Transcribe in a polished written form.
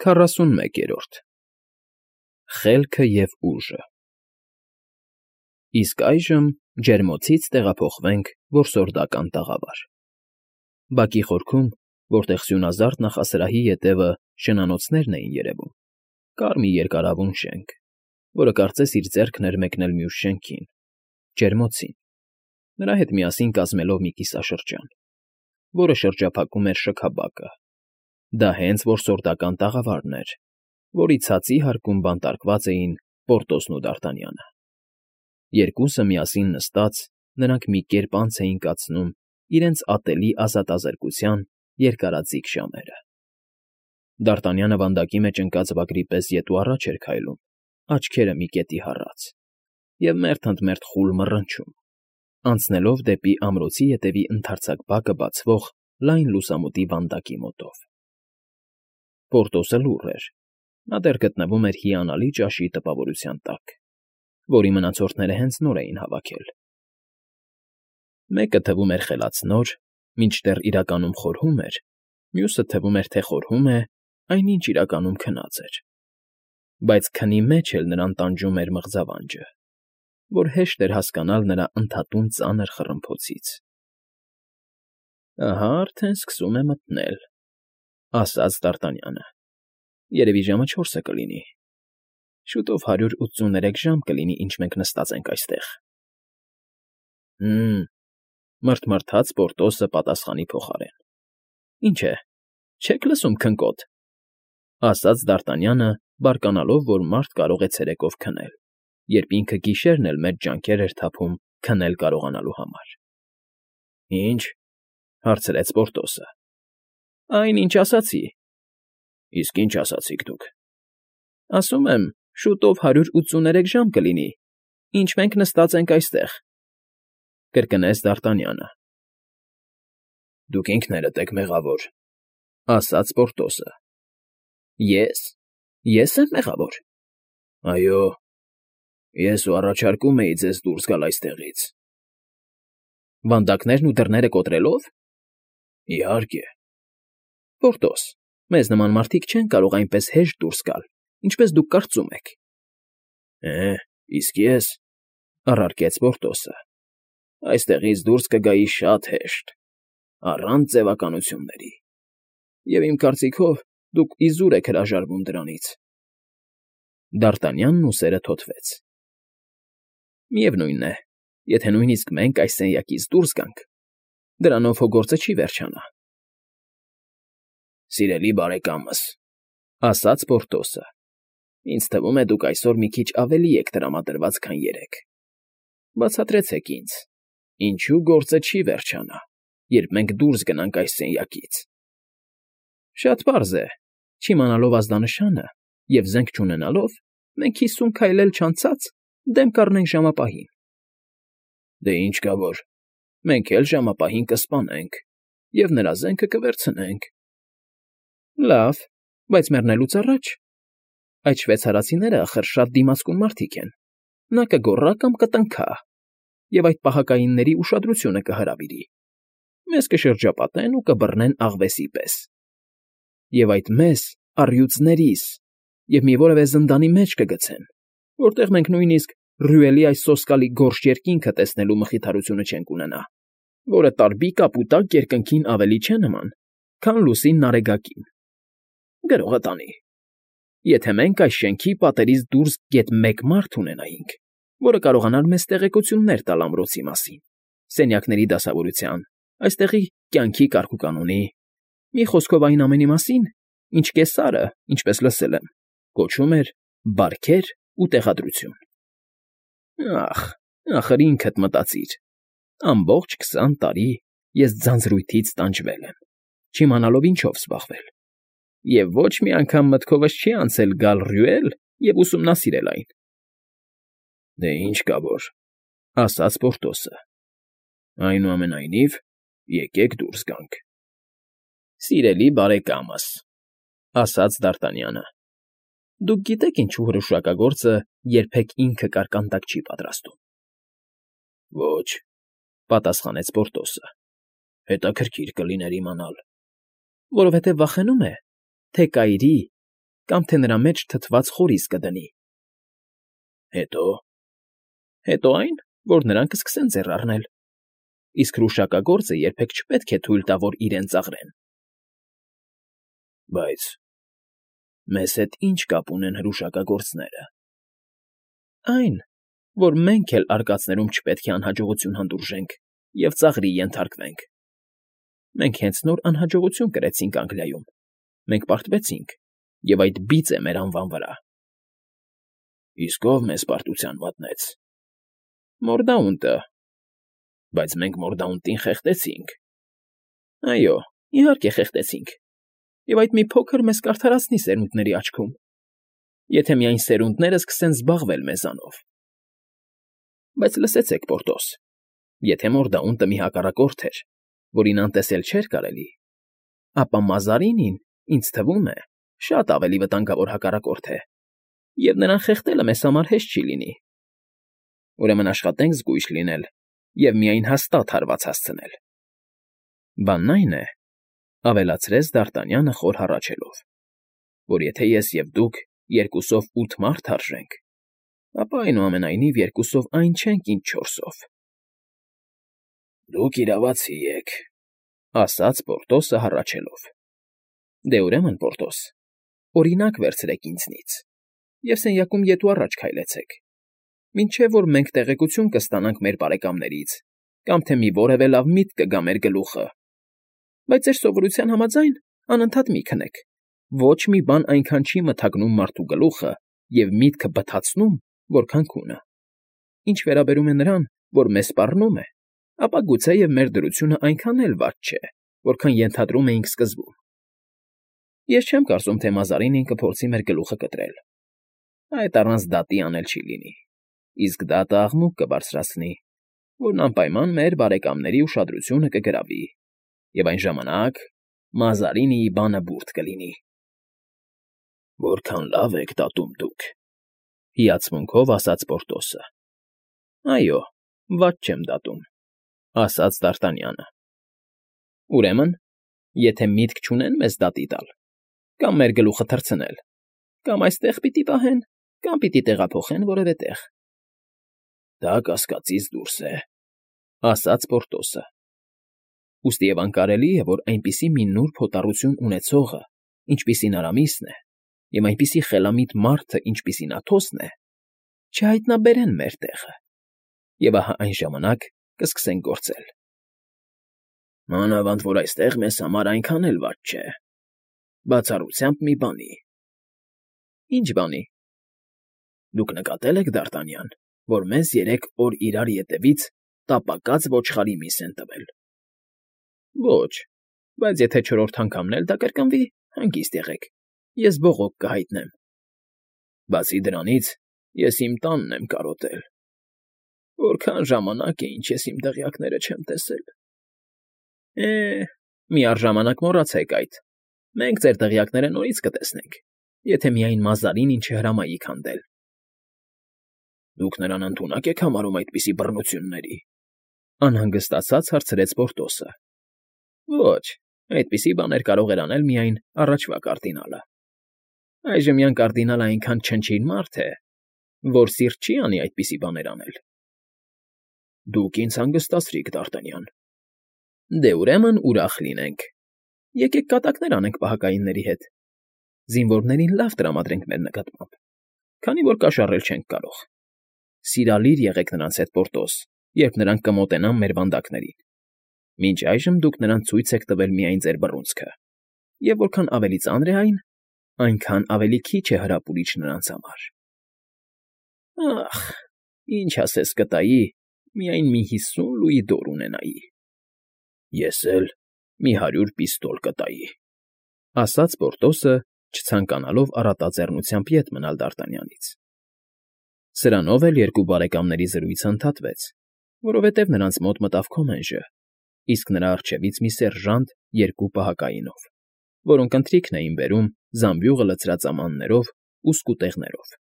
41-րդ Խելքը և ուժը Իսկ այժմ ջերմոցից տեղափոխվենք որսորդական տաղավար։ Բակի խորքում, որտեղ սյունազարդ նախասրահի ետևը շնանոցներն էին երևում, կար մի երկարավուն շենք, որը կարծես իր ձեռքն էր մեկնել մյուս շենքին՝ ջերմոցին, նրա հետ միասին կազմելով մի կիսաշրջան, որը շրջափակում էր շքաբակը։ Դա հենց որսորդական տաղավարն էր, որի ցածի հարկում բանտարկված էին Պորտոսն ու Դարտանյանը։ Երկուսը միասին նստած, նրանք մի կերպ անց էին կացնում իրենց ատելի ազատազրկության երկարաձիգ ժամերը։ Դարտանյանը վանդակի մեջ ընկած վագրի պես ետ ու առաջ էր քայլում, աչքերը մի կետի հառած, և մերթ ընդ մերթ խուլ մռնչում, անցնելով դեպի ամրոցի ետևի ընդարձակ բակը բացվող լայն լուսամուտի վանդակի մոտով։ Պորտոսը լուռ էր, նա դեռ գտնվում էր հիանալի ճաշի տպավորության տակ, որի մնացորդները հենց նոր էին հավաքել։ Մեկը թվում էր խելացնոր, մինչդեռ իրականում խորհում էր, մյուսը թվում էր, թե խորհում է, այնինչ իրականում քնած էր, բայց քնի մեջ էլ նրան տանջում էր մղձավանջը, որ հեշտ էր հասկանալ նրա ընդհատուն ծանր խռմփոցից։ «Ահա արդեն սկսում է մթնել», ֊ ասաց Դարտանյանը։ «Երևի ժամը 4 կլինի։ Շուտով 183 ժամ կլինի, ինչ մենք նստած ենք այստեղ»։ «Հը՜մ», մռթմռթաց Պորտոսը պատասխանի փոխարեն։ «Ինչ է, չեք լսում քնկոտ», ֊ ասաց Դարտանյանը, բարկանալով, որ մարդ կարող է ցերեկով քնել, երբ ինքը գիշերն էլ մեծ ջանքեր էր թափում քնել կարողանալու համար։ «Ի՞նչ», ֊ հարցրեց Պորտոսը։ «Այն, ինչ ասացի»։ «Իսկ ի՞նչ ասացիք դուք»։ «Ասում եմ, շուտով 183 ժամ կլինի, ինչ մենք նստած ենք այստեղ», ֊ կրկնեց Դարտանյանը։ «Դուք ինքներդ եք մեղավոր», ֊ ասաց Պորտոսը։ Ես եմ մեղավոր։ «Այո, ես ու առաջարկում էի ձեզ դուրս գալ այստեղից»։ «Վանդակներն ու դռները կոտրելով»։ «Իհարկե»։ «Պորտոս, մեզ նման մարդիկ չեն կարող այնպես հեշտ դուրս գալ, ինչպես դուք կարծում եք»։ Իսկ ես, ֊ առարկեց Պորտոսը, ֊ այստեղից դուրս կգայի շատ հեշտ, առանց ձևականությունների, և իմ կարծիքով դուք իզուր եք հրաժարվում դրանից։ Դարտանյանն ուսերը թոթվեց։ «Միևնույն է, եթե նույնիսկ մենք այս սենյակից դուրս գանք, դրանով հո գործը չի վերջանա»։ «Սիրելի բարեկամս», ֊ ասաց Պորտոսը, ֊ ինձ թվում է, դուք այսօր մի քիչ ավելի եք տրամադրված, քան երեկ։ Բացատրեցեք ինձ, ինչու գործը չի վերջանա, երբ մենք դուրս գնանք այս սենյակից։ Շատ պարզ է, չիմանալով ազդանշանը և զենք չունենալով, մենք 50 քայլ էլ չանցած դեմ կառնենք ժամապահին։ Դե ինչ կա որ, մենք էլ ժամապահին կսպանենք և նրա զենքը կվերցնենք։ Լավ, բայց մեռնելուց առաջ այդ շվեյցարացիները ախր շատ դիմացկուն մարդիկ են, նա կգոռա կամ կտնքա, և այդ պահակայինների ուշադրությունը կհրավիրի, մեզ կշրջապատեն ու կբռնեն աղվեսի պես։ Եվ այդ մեզ առյուծներիս և մի որևէ զնդանի մեջ կգցեն, որտեղ մենք նույնիսկ Ռյուելի այս սոսկալի գորշ երկինքը տեսնելու մխիթարությունը չենք ունենա, որը տարբիկ ապուտակ երկնքին ավելի չէ նման, քան լուսին նարեգակին։ Գրողը տանի։ Եթե մենք այս շենքի պատերից դուրս գեթ մեկ մարդ ունենայինք, որը կարողանար մեզ տեղեկություններ տալ ամրոցի մասին, սենյակների դասավորության, այստեղի կյանքի կարգուկանոնի, մի խոսքով այն ամենի մասին, ինչ Կեսարը, ինչպես լսել եմ, կոչում էր բարքեր ու տեղադրություն։ Ախր ինքդ մտածիր, ամբողջ 20 տարի ես ձանձրույթից տանջվել եմ, չիմանալով ինչով զբաղվել, և ոչ մի անգամ մտքովս չի անցել գալ Ռյուել և ուսումնասիրել այն։ Դե ինչ կա որ, ֊ ասաց Պորտոսը, ֊ այնուամենայնիվ, եկեք դուրս գանք։ Սիրելի բարեկամս, ֊ ասաց Դարտանյանը, ֊ դուք գիտեք ինչու հրուշակագործը երբեք ինքը կարկանդակ չի պատրաստում։ Ոչ, ֊ պատասխանեց Պորտոսը, ֊ հետաքրքիր կլիներ իմանալ։ Որովհետև վախենում է, թե կայրի կամ թե նրա մեջ թթված խորից կդնի։ Հետո այն, որ նրանք կսկսեն ձեռ առնել, իսկ հրուշակագործը երբեք չպետք է թույլ տա, որ իրեն ծաղրեն։ Բայց մեզ հետ ինչ կապ ունեն հրուշակագործները։ Այն, որ մենք էլ արկածներում չպետք է անհաջողություն հանդուրժենք և ծաղրի ենթարկվենք։ Մենք հենց նոր անհաջողություն կրեցինք Անգլիայում, մենք պարտվեցինք, և այդ բիծ է մեր անվան վրա։ Իսկ ով մեզ պարտության մատնեց։ Մորդաունտը։ Բայց մենք Մորդաունտին խեղդեցինք։ Այո, իհարկե խեղդեցինք, և այդ մի փոքր մեզ կարդարացնի սերունդների աչքում, եթե միայն սերունդները սկսեն զբաղվել մեզանով։ Բայց լսեցեք, Պորտոս, եթե Մորդաունտը մի հակառակորդ էր, որին անտեսել չէր կարելի, ապա Մազարինին, ինձ թվում է, շատ ավելի վտանգավոր հակառակորդ է, և նրան խեղդելը մեզ համար հեշտ չի լինի։ Ուրեմն աշխատենք զգույշ լինել և միայն հաստատ հարված հասցնել։ Բանն այն է, ավելացրեց Դ'Արտանյանը խոր հառաչելով, որ եթե ես և դուք երկուսով 8 մարդ արժենք, ապա այնուամենայնիվ երկուսով այն չենք, ինչ 4-ով։ Դուք իրավացի եք, ասաց Պորտոսը հառաչելով։ Դե ուրեմն, Պորտոս, օրինակ վերցրեք ինձնից և սենյակում ետ ու առաջ քայլեցեք, մինչև որ մենք տեղեկություն կստանանք մեր բարեկամներից, կամ թե մի որևէ լավ միտք կգա մեր գլուխը։ Բայց ձեր սովորության համաձայն անընդհատ մի քնեք. ոչ մի բան այնքան չի մթագնում մարդու գլուխը և միտքը բթացնում, որքան քունը։ Ինչ վերաբերում է նրան, որ մեզ սպառնում է, ապա գուցեև մեր դրությունը այնքան էլ վատ չէ, որքան ենթադրում էինք սկզբում։ Ես չեմ կարծում, թե Մազարինին կփորձի մեր գլուխը կտրել։ Այդ առանց դատի անել չի լինի, իսկ դատը աղմուկ կբարձրացնի, որն անպայման մեր բարեկամների ուշադրությունը կգրավի, և այն ժամանակ Մազարինիի բանը բուրդ կլինի։ Որքան լավ եք դատում դուք, հիացմունքով ասաց Պորտոսը։ Այո, վատ չեմ դատում, ասաց Դ'Արտանյանը։ Ուրեմն, եթե միտք չունեն մեզ դատի տալ, կամ մեր գլուխը թռցնել, կամ այստեղ պիտի պահեն, կամ պիտի տեղափոխեն որևէ տեղ։ Դա կասկածից դուրս է, ասաց Պորտոսը։ Ուստի և անկարելի է, որ այնպիսի մի նուրբ հոտառություն ունեցողը, ինչպիսին Արամիսն է, և այնպիսի խելամիտ մարդը, ինչպիսին Աթոսն է, չհայտնաբերեն մեր տեղը, և ահա այն ժամանակ կսկսենք գործել։ Մանավանդ որ այստեղ մեզ համար այնքան էլ վատ չէ, բացառությամբ մի բանի։ Ինչ բանի։ Դուք նկատել եք, Դ'Արտանյան, որ մեզ 3 օր իրար ետևից տապակած ոչխարի միս են տվել։ Ոչ, բայց եթե 4-րդ անգամն էլ դա կրկնվի, հանգիստ եղեք, ես բողոք կհայտնեմ։ Բացի դրանից, ես իմ տանն եմ կարոտել։ Որքան ժամանակ է, ինչ ես իմ դղյակները չեմ տեսել։ Միառժամանակ մոռացեք այդ։ Մենք ձեր դղյակները նորից կտեսնենք, եթե միայն Մազարինին չհրամայի քանդել։ Դուք նրան ընդունակ եք համարում այդպիսի բռնությունների, անհանգստացած հարցրեց Պորտոսը։ Ոչ, այդպիսի բաներ կարող էր անել միայն առաջվա կարդինալը։ Այժմյան կարդինալը այնքան չնչին մարդ է, որ սիրտ չի անի այդպիսի բաներ անել։ Դուք ինձ հանգստացրիք, Դ'Արտանյան։ Դե ուրեմն ուրախ լինենք։ Եկեք կատակներ անենք պահակայինների հետ։ Զինվորներին լավ տրամադրենք մեր նկատմամբ, քանի որ կաշառել չենք կարող։ Սիրալիր եղեք նրանց հետ, Պորտոս, երբ նրանք կմոտենան մեր վանդակներին։ Մինչ այժմ դուք նրանց ցույց եք տվել միայն ձեր բռունցքը, և որքան ավելի ծանր է այն, այնքան ավելի քիչ է հրապուրիչ նրանց համար։ Ախ, ինչ ասես կտայի, միայն մի 50 լուի դոր ունենայի։ Ես էլ մի 100 պիստոլ կտայի, ասաց Պորտոսը, չցանկանալով առատաձեռնությամբ ետ մնալ Դ'Արտանյանից։ Սրանով էլ երկու բարեկամների զրույցը ընդհատվեց, որովհետև նրանց մոտ մտավ Քոմենժը, իսկ նրա առջևից մի սերժանտ 2 պահակայինով, որոնք ընթրիքն էին բերում զամբյուղը լցրած ամաններով ու սկուտեղներով։